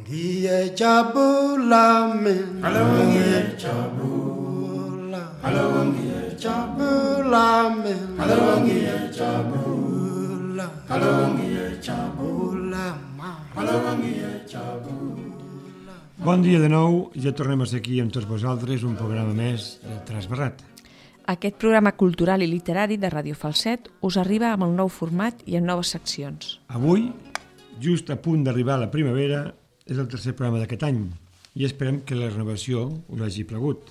Dia Jabulamin Alawangia Jabula Alawangia Jabulamin Alawangia Jabula Alawangia Jabula Alawangia Jabula. Bon dia de nou, ja tornem a ser aquí amb tots vosaltres, un programa més de Trasbarrat. Aquest programa cultural i literari de Ràdio Falset us arriba amb el nou format i amb noves seccions. Avui, just a punt d'arribar a la primavera, és el tercer programa d'aquest any i esperem que la renovació us hagi plagut.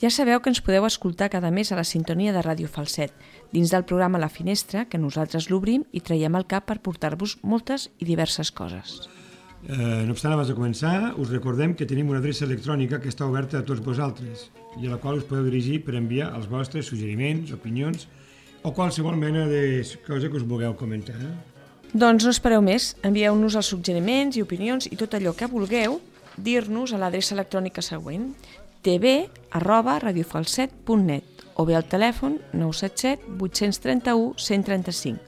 Ja sabeu que ens podeu escoltar cada mes a la sintonia de Ràdio Falset, dins del programa La Finestra, que nosaltres l'obrim i traiem al cap per portar-vos moltes i diverses coses. No obstant, abans de començar, us recordem que tenim una adreça electrònica que està oberta a tots vosaltres i a la qual us podeu dirigir per enviar els vostres suggeriments, opinions o qualsevol mena de cosa que us vulgueu comentar. Doncs no espereu més, envieu-nos els suggeriments i opinions i tot allò que vulgueu dir-nos a l'adreça electrònica següent tv@radiofalset.net o bé al telèfon 977 831 135.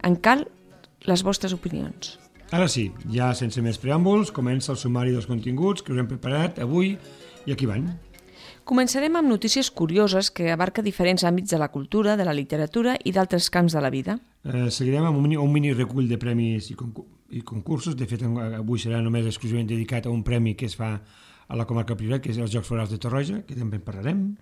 En cal les vostres opinions. Ara sí, ja sense més preàmbuls, comença el sumari dels continguts que us hem preparat avui i aquí van. Començarem amb notícies curioses que abarca diferents àmbits de la cultura, de la literatura i d'altres camps de la vida. Seguirem amb un mini recull de premis i concursos. De fet, avui serà només exclusivament dedicat a un premi que es fa a la comarca Priorat, que és els Jocs Florals de Torroja, que també en parlarem.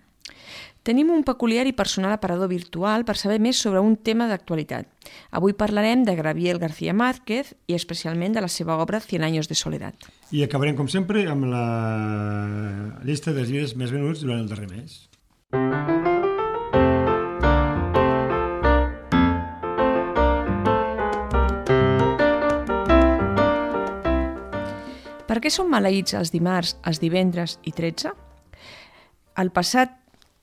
Tenim un peculiar i personal aparador virtual per saber més sobre un tema d'actualitat. Avui parlarem de Gabriel García Márquez i especialment de la seva obra Cien años de soledad. I acabarem, com sempre, amb la llista dels llibres més venuts durant el darrer mes. Per què són maleïts els dimarts, els divendres i 13? El passat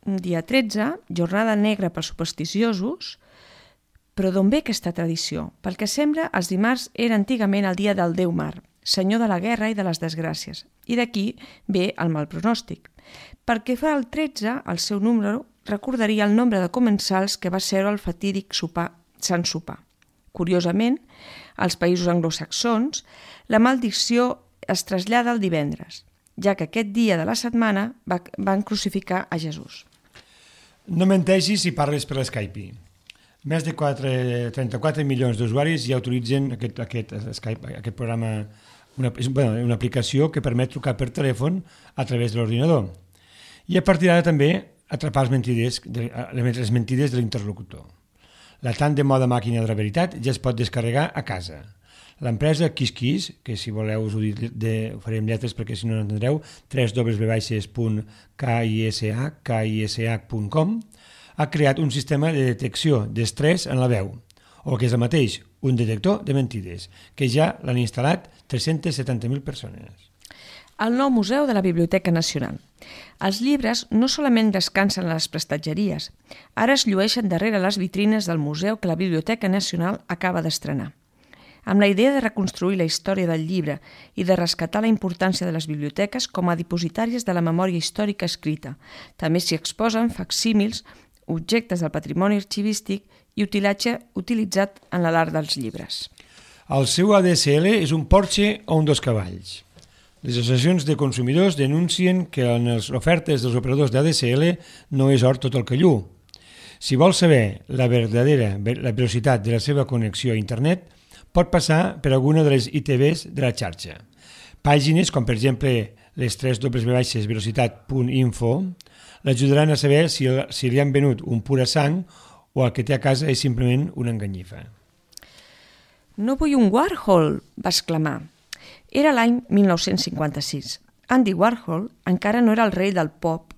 dia 13, jornada negra pels supersticiosos, però d'on ve aquesta tradició? Pel que sembla, els dimarts era antigament el dia del déu mar, senyor de la guerra i de les desgràcies, i d'aquí ve el mal pronòstic. Perquè fa el 13, el seu número recordaria el nombre de comensals que va ser el fatídic Sant Sopar. Curiosament, als països anglosaxons, la maledicció es trasllada al divendres, ja que aquest dia de la setmana van crucificar a Jesús. No menteixis si parles per Skype. Més de 34 milions d'usuaris ja utilitzen aquest Skype, aquest programa, una aplicació que permet trucar per telèfon a través de l'ordinador. I a partir d'ara també atrapar les mentides de l'interlocutor. La tant de moda màquina de la veritat ja es pot descarregar a casa. L'empresa KissKiss, que si voleu us ho farem lletres perquè si no n'entendreu, www.kish.com, ha creat un sistema de detecció d'estrès en la veu, o que és el mateix, un detector de mentides, que ja l'han instal·lat 370.000 persones. El nou museu de la Biblioteca Nacional. Els llibres no solament descansen a les prestatgeries, ara es llueixen darrere les vitrines del museu que la Biblioteca Nacional acaba d'estrenar. Amb la idea de reconstruir la història del llibre i de rescatar la importància de les biblioteques com a dipositàries de la memòria històrica escrita. També s'hi exposen facsímils, objectes del patrimoni arxivístic i utilatge utilitzat en l'art dels llibres. El seu ADSL és un Porsche o un dos cavalls. Les associacions de consumidors denuncien que en les ofertes dels operadors d'ADSL no és or tot el que lluu. Si vols saber la velocitat de la seva connexió a internet, pot passar per alguna de les ITVs de la xarxa. Pàgines com, per exemple, les www.velocitat.info l'ajudaran a saber si li han venut un pura sang o el que té a casa és simplement una enganyifa. No vull un Warhol, va exclamar. Era l'any 1956. Andy Warhol encara no era el rei del pop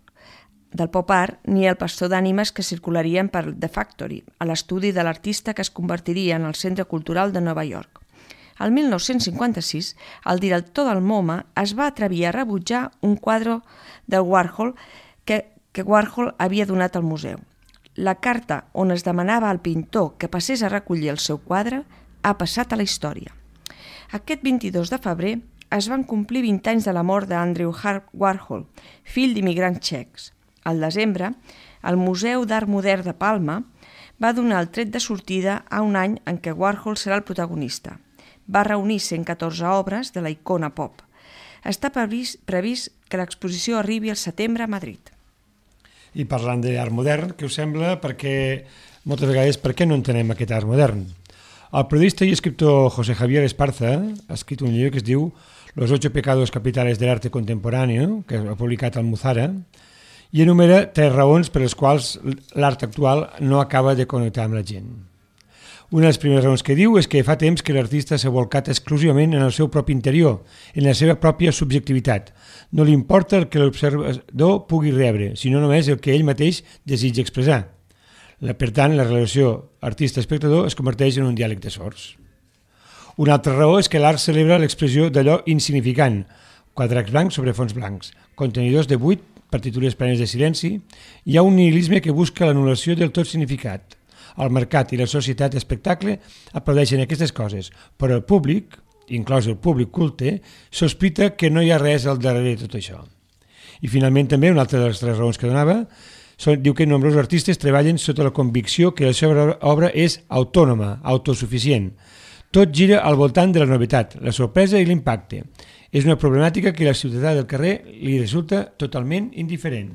art ni el pastor d'ànimes que circularien per The Factory, a l'estudi de l'artista que es convertiria en el Centre Cultural de Nova York. El 1956, el director del MoMA es va atrevir a rebutjar un quadre de Warhol que Warhol havia donat al museu. La carta on es demanava al pintor que passés a recollir el seu quadre ha passat a la història. Aquest 22 de febrer es van complir 20 anys de la mort d'Andrew Warhol, fill d'immigrants txecs. Al desembre, el Museu d'Art Modern de Palma va donar el tret de sortida a un any en què Warhol serà el protagonista. va reunir 114 obres de la icona pop. Està previst que l'exposició arribi al setembre a Madrid. I parlant d'art modern, què us sembla? Perquè moltes vegades, per què no entenem aquest art modern? El periodista i escriptor José Javier Esparza ha escrit un llibre que es diu Los 8 pecados capitales del arte contemporáneo, que ha publicat al Muzara, i enumera 3 raons per les quals l'art actual no acaba de connectar amb la gent. Una de les primeres raons que diu és que fa temps que l'artista s'ha volcat exclusivament en el seu propi interior, en la seva pròpia subjectivitat. No li importa el que l'observador pugui rebre, sinó només el que ell mateix desitja expressar. Per tant, la relació artista-espectador es converteix en un diàleg de sords. Una altra raó és que l'art celebra l'expressió d'allò insignificant, quadrats blancs sobre fons blancs, contenidors de buit, partitures plenes de silenci. Hi ha un nihilisme que busca l'anul·lació del tot significat. El mercat i la societat d'espectacle aplaudeixen aquestes coses, però el públic, inclòs el públic culte, sospita que no hi ha res al darrere de tot això. I finalment també, una altra de les 3 raons que donava, diu que nombrosos artistes treballen sota la convicció que la seva obra és autònoma, autosuficient. Tot gira al voltant de la novetat, la sorpresa i l'impacte. És una problemàtica que la ciutadà del carrer li resulta totalment indiferent.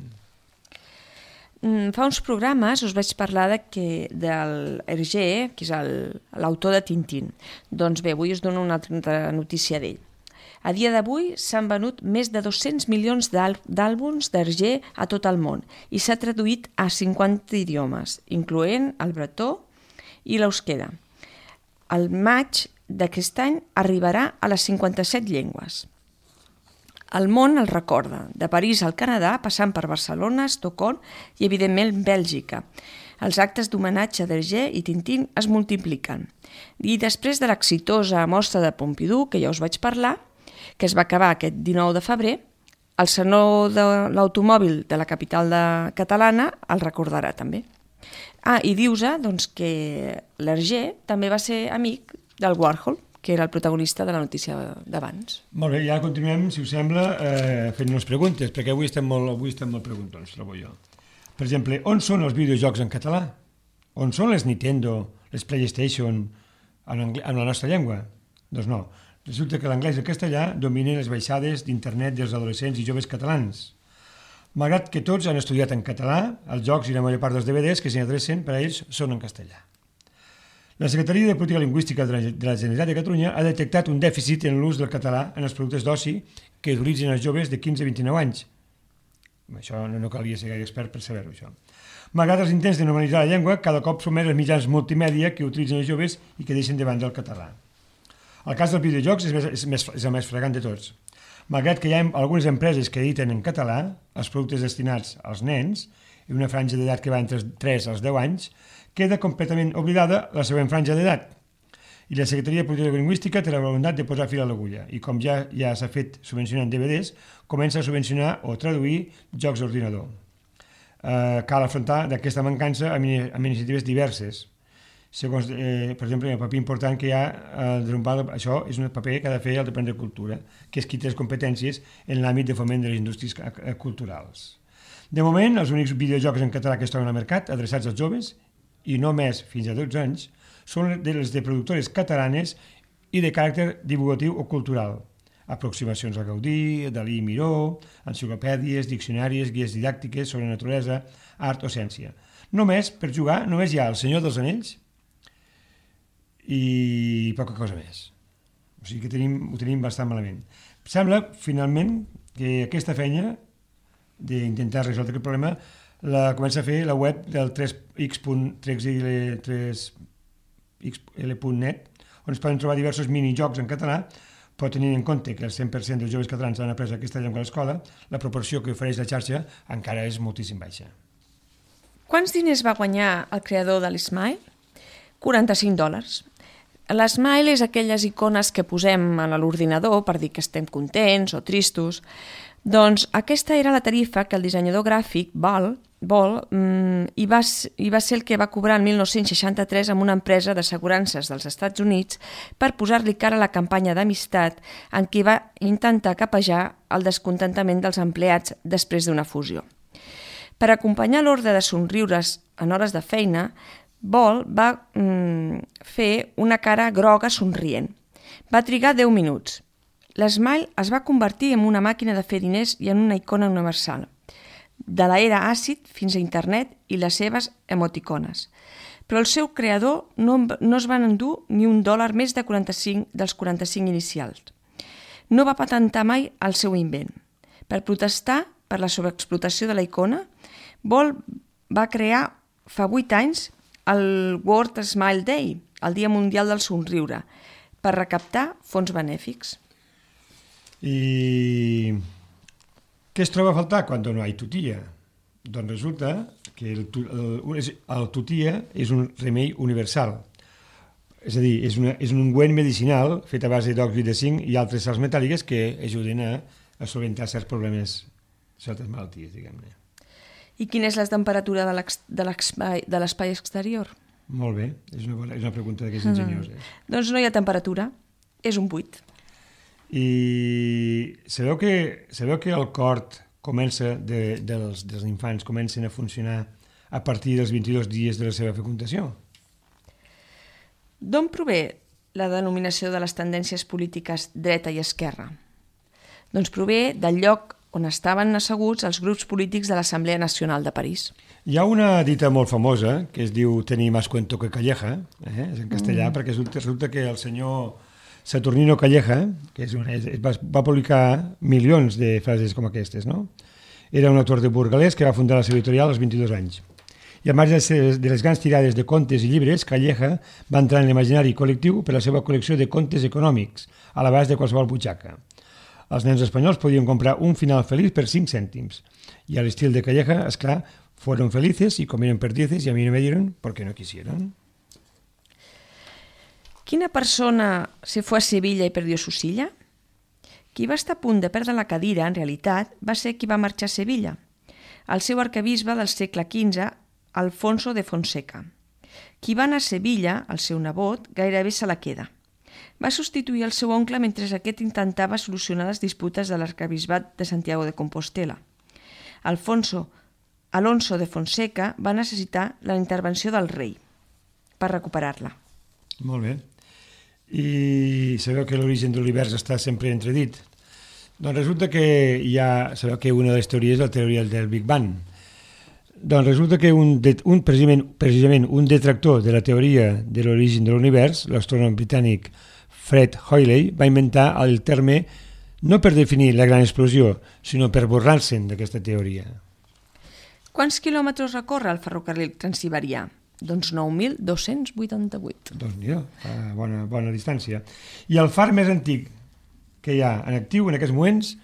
Fa uns programes us vaig parlar del Hergé, que és l'autor de Tintín. Doncs bé, avui us dono una altra notícia d'ell. A dia d'avui s'han venut més de 200 milions d'àlbums d'Hergé a tot el món i s'ha traduït a 50 idiomes, incloent el bretó i l'euskera. El maig d'aquest any arribarà a les 57 llengües. El món el recorda, de París al Canadà, passant per Barcelona, Estocolm i, evidentment, Bèlgica. Els actes d'homenatge d'Hergé i Tintín es multipliquen. I després de l'exitosa mostra de Pompidou, que ja us vaig parlar, que es va acabar aquest 19 de febrer, el Saló de l'Automòbil de la capital catalana el recordarà també. I dius-se doncs, que l'Hergé també va ser amic del Warhol, que era el protagonista de la notícia d'abans. Molt bé, ja continuem, si us sembla, fent-nos preguntes, perquè avui estem molt preguntons, trobo jo. Per exemple, on són els videojocs en català? On són les Nintendo, les PlayStation en la nostra llengua? Doncs no. Resulta que l'anglès i el castellà dominen les baixades d'internet dels adolescents i joves catalans. Malgrat que tots han estudiat en català, els jocs i la major part dels DVDs que s'hi adrecen per a ells són en castellà. La Secretaria de Política Lingüística de la Generalitat de Catalunya ha detectat un dèficit en l'ús del català en els productes d'oci que utilitzen els joves de 15 a 29 anys. Això no calia ser gaire expert per saber-ho, això. Malgrat els intents de normalitzar la llengua, cada cop són més els mitjans multimèdia que utilitzen els joves i que deixen de banda el català. El cas dels videojocs és el més flagrant de tots. Malgrat que hi ha algunes empreses que editen en català els productes destinats als nens, i una franja d'edat que va entre 3 als 10 anys, queda completament oblidada la següent franja d'edat. I la Secretaria de Política Lingüística té la voluntat de posar fil a l'agulla, i com ja s'ha fet subvencionant DVDs, comença a subvencionar o traduir jocs d'ordinador. Cal afrontar d'aquesta mancança amb iniciatives diverses. Segons, per exemple, el paper important que hi ha això és un paper que ha de fer el Departament de Cultura, que és qui té les competències en l'àmbit de foment de les indústries culturals. De moment, els únics videojocs en català que es troben al mercat, adreçats als joves, i no més fins a 12 anys, són els de productores catalanes i de caràcter divulgatiu o cultural. Aproximacions a Gaudí, Dalí i Miró, enciclopèdies, diccionaris, guies didàctiques sobre naturalesa, art o ciència. Només, per jugar, només hi ha El Senyor dels Anells i poca cosa més. O sigui que ho tenim bastant malament. Sembla, finalment, que aquesta feina d'intentar resoldre aquest problema la comença a fer la web del 3xl.net, on es poden trobar diversos minijocs en català, però tenint en compte que el 100% dels joves catalans han après aquesta llengua a l'escola, la proporció que ofereix la xarxa encara és moltíssim baixa. Quants diners va guanyar el creador de l'Smile? $45. L'Smile és aquelles icones que posem a l'ordinador per dir que estem contents o tristos. Doncs aquesta era la tarifa que el dissenyador gràfic Ball i va ser el que va cobrar el 1963 amb una empresa d'assegurances dels Estats Units per posar-li cara a la campanya d'amistat en què va intentar capejar el descontentament dels empleats després d'una fusió. Per acompanyar l'ordre de somriures en hores de feina, Ball va fer una cara groga somrient. Va trigar 10 minuts. L'Smile es va convertir en una màquina de fer diners i en una icona universal, de l'era àcid fins a internet i les seves emoticones. Però el seu creador no es van endur ni $1 més dels 45 inicials. No va patentar mai el seu invent. Per protestar per la sobreexplotació de la icona, Ball va crear fa 8 anys el World Smile Day, el Dia Mundial del Somriure, per recaptar fons benèfics. I què es troba a faltar quan no hi ha tutilla? Doncs resulta que el tutilla és un remei universal. És a dir, és un ungüent medicinal fet a base d'òxid de zinc i altres sals metàl·liques que ajuden a solventar certs problemes, certes malalties, diguem-ne. I quina és la temperatura de l'espai exterior? Molt bé, és una pregunta d'aquests enginyoses. Doncs no hi ha temperatura, és un buit. I sabeu que el cor dels infants comencen a funcionar a partir dels 22 dies de la seva fecundació? D'on prové la denominació de les tendències polítiques dreta i esquerra? Doncs prové del lloc on estaven asseguts els grups polítics de l'Assemblea Nacional de París. Hi ha una dita molt famosa que es diu «tenir más cuento que Calleja», és en castellà, perquè resulta que el senyor Saturnino Calleja, que va publicar milions de frases com aquestes, no? Era un autor de burgalès que va fundar la seva editorial als 22 anys. I al marge de les grans tirades de contes i llibres, Calleja va entrar en l'imaginari col·lectiu per la seva col·lecció de contes econòmics, a l'abast de qualsevol butxaca. Els nens espanyols podien comprar un final feliç per 5 cèntims. I a l'estil de Calleja, esclar, fueron felices y comieron perdices y a mí no me dieron porque no quisieron. Quina persona se fue a Sevilla i perdió su silla? Qui va estar a punt de perdre la cadira, en realitat, va ser qui va marxar a Sevilla, el seu arquebisbe del segle XV, Alfonso de Fonseca. Qui va anar a Sevilla, el seu nebot, gairebé se la queda. Va substituir el seu oncle mentre aquest intentava solucionar les disputes de l'arquebisbat de Santiago de Compostela. Alonso de Fonseca va necessitar la intervenció del rei per recuperar-la. Molt bé. I sabeu que l'origen de l'univers està sempre entredit? Doncs resulta que sabeu que una de les teories és la teoria del Big Bang. Doncs resulta que precisament un detractor de la teoria de l'origen de l'univers, l'astrònom britànic Fred Hoyle, va inventar el terme no per definir la gran explosió, sinó per burlar-se'n d'aquesta teoria. Quants quilòmetres recorre el ferrocarril transsiberià? Doncs 9.288. Doncs mira, bona distància. I el far més antic que hi ha en actiu en aquests moments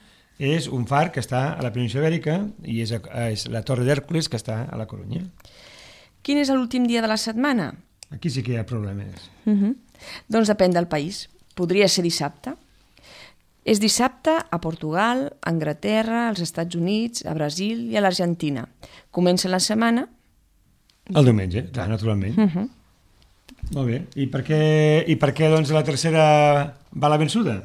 és un far que està a la península Ibèrica i és la Torre d'Hèrcules que està a la Corunya. Quin és l'últim dia de la setmana? Aquí sí que hi ha problemes. Doncs depèn del país. Podria ser dissabte. És dissabte a Portugal, a Anglaterra, als Estats Units, a Brasil i a l'Argentina. Comença la setmana... El diumenge, clar, naturalment. Molt bé. I per què doncs, la tercera va la vençuda?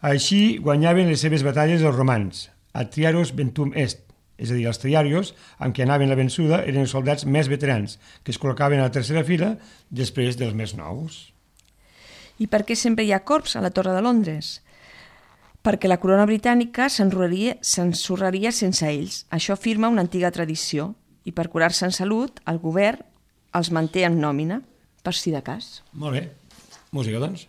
Així guanyaven les seves batalles els romans, a Triaros Ventum Est, és a dir, els triarios, amb què anaven la vençuda, eren els soldats més veterans, que es col·locaven a la tercera fila després dels més nous. I per què sempre hi ha corbs a la Torre de Londres? Perquè la corona britànica s'ensorraria sense ells. Això afirma una antiga tradició. I per curar-se en salut, el govern els manté en nòmina, per si de cas. Molt bé. Música, doncs.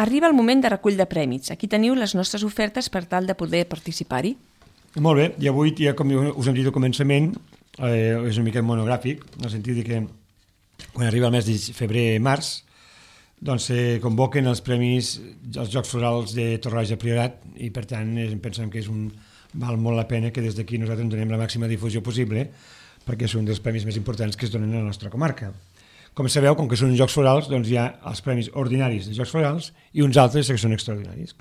Arriba el moment de recull de prèmits. Aquí teniu les nostres ofertes per tal de poder participar-hi. Molt bé, i avui, ja com us hem dit al començament, és una mica monogràfic, en el sentit que quan arriba el mes de febrer-març, doncs se convoquen els premis als Jocs Florals de Torroja Priorat i per tant pensem que val molt la pena que des d'aquí nosaltres donem la màxima difusió possible perquè són dels premis més importants que es donen a la nostra comarca. Com sabeu, com que són Jocs Florals, doncs hi ha els premis ordinaris de Jocs Florals i uns altres que són extraordinaris.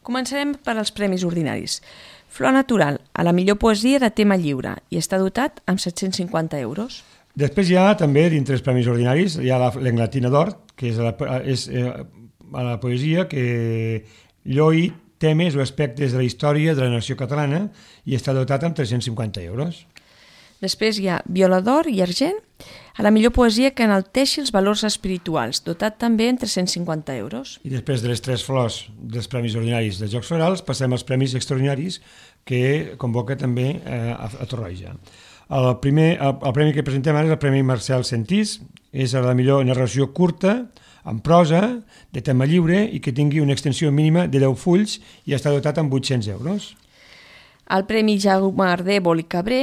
Començarem per als premis ordinaris. Flor Natural, a la millor poesia de tema lliure, i està dotat amb 750 euros. Després hi ha també, dintre els premis ordinaris, hi ha l'Englatina d'Or, que és a la poesia que lloi temes o aspectes de la història de la nació catalana i està dotat amb 350 euros. Després hi ha Viola d'Or i Argent, a la millor poesia que enalteixi els valors espirituals, dotat també amb 350 euros. I després de les 3 flors dels premis ordinaris dels Jocs Florals passem als premis extraordinaris que convoca també a Torroja. El premi que presentem ara és el Premi Marcel Sentís, és la millor narració curta, en prosa, de tema lliure i que tingui una extensió mínima de 10 fulls i està dotat amb 800 euros. El Premi Jaume Ardèvol i Cabré,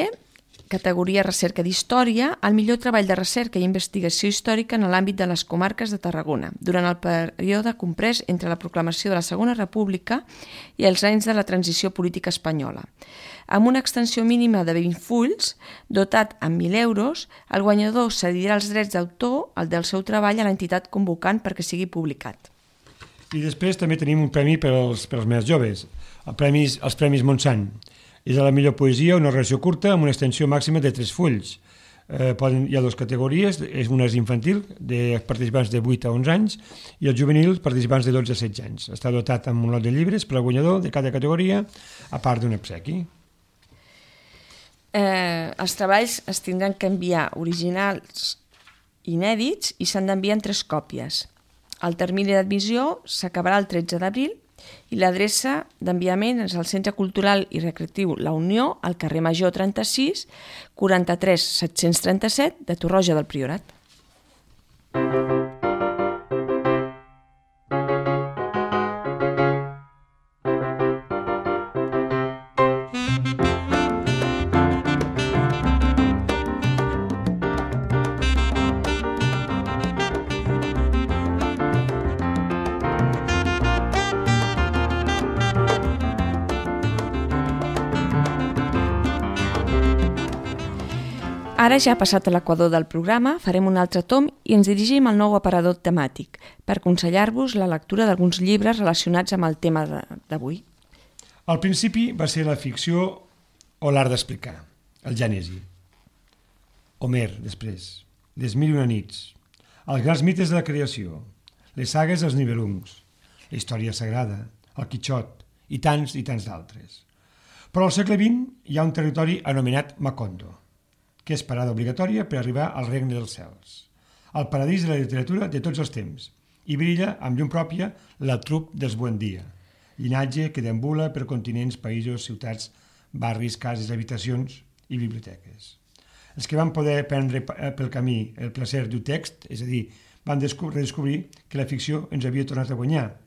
categoria recerca d'història, el millor treball de recerca i investigació històrica en l'àmbit de les comarques de Tarragona, durant el període comprès entre la proclamació de la Segona República i els anys de la transició política espanyola. Amb una extensió mínima de 20 fulls, dotat amb 1.000 euros, el guanyador cedirà els drets d'autor al del seu treball a l'entitat convocant perquè sigui publicat. I després també tenim un premi per als més joves, els Premis Montsant. És a la millor poesia, una narració curta amb una extensió màxima de 3 fulls. Hi ha 2 categories, una és infantil, de participants de 8 a 11 anys, i el juvenil, participants de 12 a 16 anys. Està dotat amb un lot de llibres per al guanyador de cada categoria, a part d'un obsequi. Els treballs es tindran que enviar originals inèdits i s'han d'enviar en 3 còpies. El termini d'admissió s'acabarà el 13 d'abril i l'adreça d'enviament és al Centre Cultural i Recreatiu La Unió, al carrer Major 36, 43 737 de Torroja del Priorat. Ara ja ha passat l'equador del programa, farem un altre tom i ens dirigim al nou aparador temàtic per aconsellar-vos la lectura d'alguns llibres relacionats amb el tema d'avui. Al principi va ser la ficció o l'art d'explicar, el Gènesi. Homer, després, les Mil i una nits, els grans mites de la creació, les sagues dels Nibelungs, la història sagrada, el Quixot i tants d'altres. Però al segle XX hi ha un territori anomenat Macondo, que és parada obligatòria per arribar al regne dels cels, al paradís de la literatura de tots els temps, i brilla amb llum pròpia la trup dels Buendia, llinatge que deambula per continents, països, ciutats, barris, cases, habitacions i biblioteques. Els que van poder prendre pel camí el plaer d'un text, és a dir, van redescobrir que la ficció ens havia tornat a guanyar,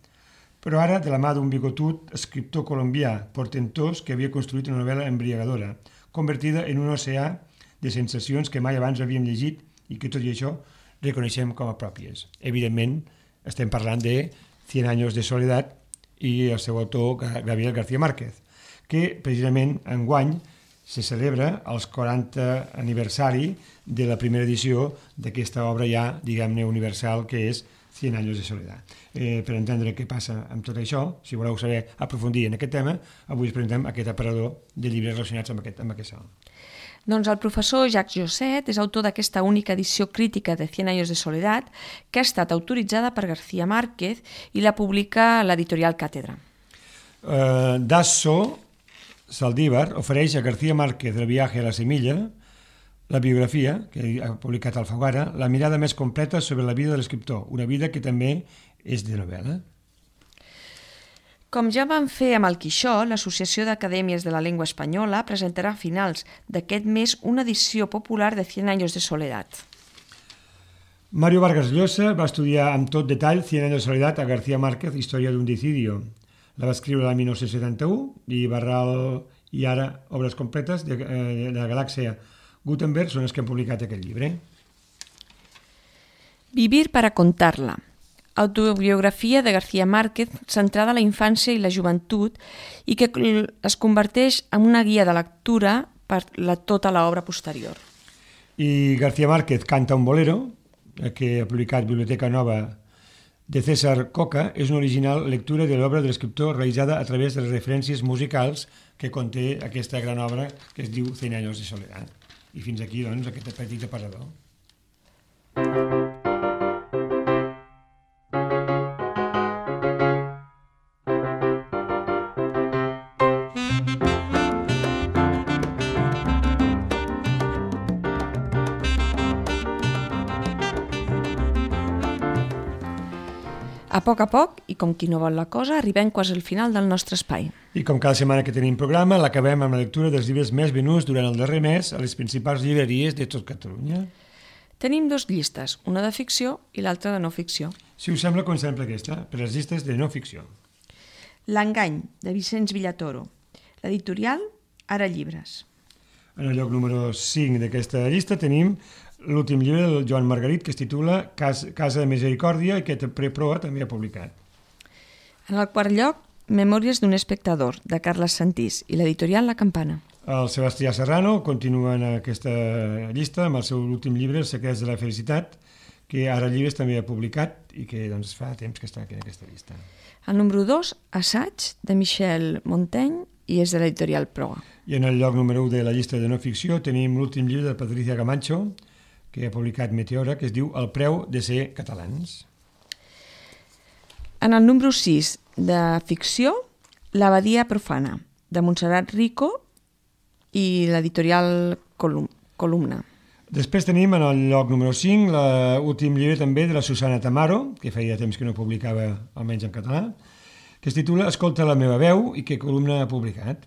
però ara de la mà d'un bigotut escriptor colombià portentós que havia construït una novel·la embriagadora, convertida en un oceà de sensacions que mai abans havíem llegit i que tot i això reconeixem com a pròpies. Evidentment, estem parlant de 100 años de soledat i el seu autor, Gabriel García Márquez, que precisament enguany se celebra el 40 aniversari de la primera edició d'aquesta obra ja, diguem-ne, universal, que és 100 años de soledat. Per entendre què passa amb tot això, si voleu saber aprofundir en aquest tema, avui us presentem aquest aparador de llibres relacionats amb aquest salt. Doncs el professor Jacques Josset és autor d'aquesta única edició crítica de 100 años de soledat que ha estat autoritzada per García Márquez i la publica l'editorial Càtedra. Dasso Saldívar ofereix a García Márquez El viaje a la semilla, la biografia que ha publicat Alfaguara, la mirada més completa sobre la vida de l'escriptor, una vida que també és de novel·la. Com ja vam fer amb el Quixot, l'Associació d'Acadèmies de la Llengua Espanyola presentarà a finals d'aquest mes una edició popular de 100 años de soledat. Mario Vargas Llosa va estudiar amb tot detall 100 años de soledat a García Márquez, Història d'un decidio. La va escriure l'any 1971 i Barral i ara Obres completes de la galàxia Gutenberg són els que han publicat aquest llibre. Vivir para contarla. Autobiografia de García Márquez centrada a la infància i la joventut i que es converteix en una guia de lectura per tota l'obra posterior. I García Márquez canta un bolero, que ha publicat Biblioteca Nova de César Coca, és una original lectura de l'obra de l'escriptor realitzada a través de les referències musicals que conté aquesta gran obra que es diu 100 años de soledat. I fins aquí, doncs, aquest petit aparador. A poc, i com qui no vol la cosa, arribem quasi al final del nostre espai. I com cada setmana que tenim programa, l'acabem amb la lectura dels llibres més venuts durant el darrer mes a les principals llibreries de tot Catalunya. Tenim 2 llistes, una de ficció i l'altra de no ficció. Si us sembla, comencem per aquesta, per les llistes de no ficció. L'engany, de Vicenç Villatoro. L'editorial, Ara Llibres. En el lloc número 5 d'aquesta llista tenim l'últim llibre del Joan Margarit, que es titula Casa de Misericòrdia i que Proa també ha publicat. En el quart lloc, Memòries d'un espectador, de Carles Santís, i l'editorial La Campana. El Sebastià Serrano continua en aquesta llista amb el seu últim llibre, Els secrets de la felicitat, que Ara Llibres també ha publicat i que doncs, fa temps que està aquí en aquesta llista. El número 2, Assaig, de Michel Montaigne, i és de l'editorial Proa. I en el lloc número 1 de la llista de no ficció tenim l'últim llibre de Patricia Camacho, que ha publicat Meteora, que es diu El preu de ser catalans. En el número 6 de ficció, L'abadia profana, de Montserrat Rico i l'editorial Columna. Després tenim en el lloc número 5 l'últim llibre també de la Susana Tamaro, que feia temps que no publicava, almenys en català, que es titula Escolta la meva veu i que Columna ha publicat.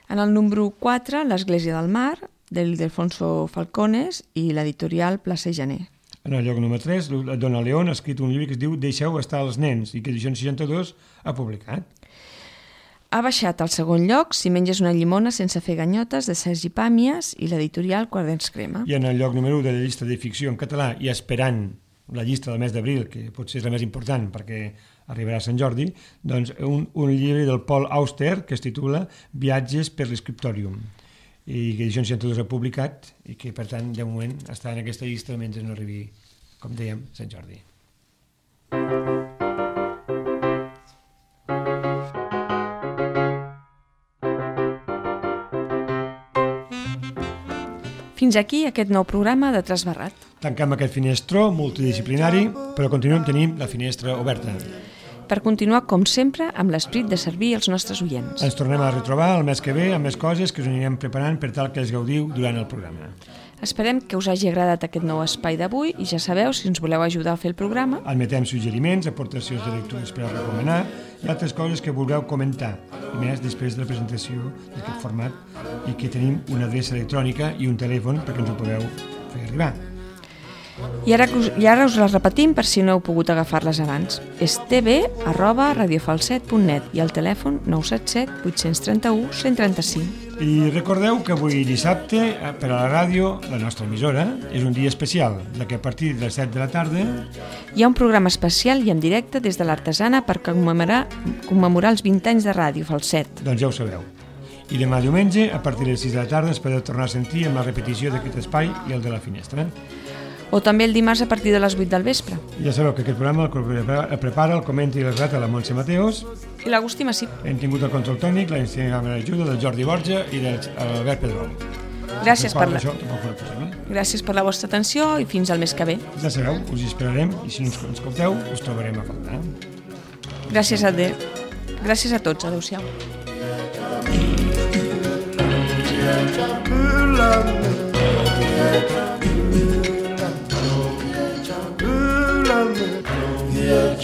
En el número 4, L'Església del Mar, d'Ildefonso Falcones i l'editorial Plaça i Janer. En el lloc número 3, Dona León ha escrit un llibre que es diu Deixeu estar els nens i que Edicions 62 ha publicat. Ha baixat al segon lloc Si menges una llimona sense fer ganyotes, de Sergi Pàmies i l'editorial Quaderns Crema. I en el lloc número 1 de la llista de ficció en català i esperant la llista del mes d'abril, que potser és la més important perquè arribarà a Sant Jordi, doncs un llibre del Paul Auster que es titula Viatges per l'escriptòrium i que Edicions 62 ha publicat i que per tant de moment està en aquesta llista mentre no arribi, com dèiem, Sant Jordi. Fins aquí aquest nou programa de Trasbarrat. Tanquem aquest finestró multidisciplinari, però continuem tenint la finestra oberta. Per continuar, com sempre, amb l'esperit de servir als nostres oients. Ens tornem a retrobar el mes que ve amb més coses que us anirem preparant per tal que els gaudiu durant el programa. Esperem que us hagi agradat aquest nou espai d'avui i ja sabeu, si ens voleu ajudar a fer el programa, admetem suggeriments, aportacions de lectures per a recomanar i altres coses que vulgueu comentar, i més després de la presentació d'aquest format i que tenim una adreça electrònica i un telèfon perquè ens ho podeu fer arribar. I ara us les repetim per si no heu pogut agafar-les abans. És tv@radiofalset.net i el telèfon 977 831 135. I recordeu que avui dissabte, per a la ràdio, la nostra emissora, és un dia especial, ja que a partir de les 7 de la tarda hi ha un programa especial i en directe des de l'Artesana per commemorar els 20 anys de Ràdio Falset. Doncs ja ho sabeu. I demà diumenge, a partir de les 6 de la tarda, ens podeu tornar a sentir amb la repetició d'aquest espai i el de la finestra. O també el dimarts a partir de les 8 del vespre. Ja sabeu que aquest programa el prepara, el comenta i el relata la Montse Mateos. I l'Agustí Massip. Hem tingut el control tècnic, l'ajuda del Jordi Borja i de l'Albert Pedrol. Gràcies per la vostra atenció i fins al mes que ve. Ja sabeu, us hi esperarem i si no ens escolteu, us trobarem a faltar. Gràcies a tots. Adéu-siau. Yeah,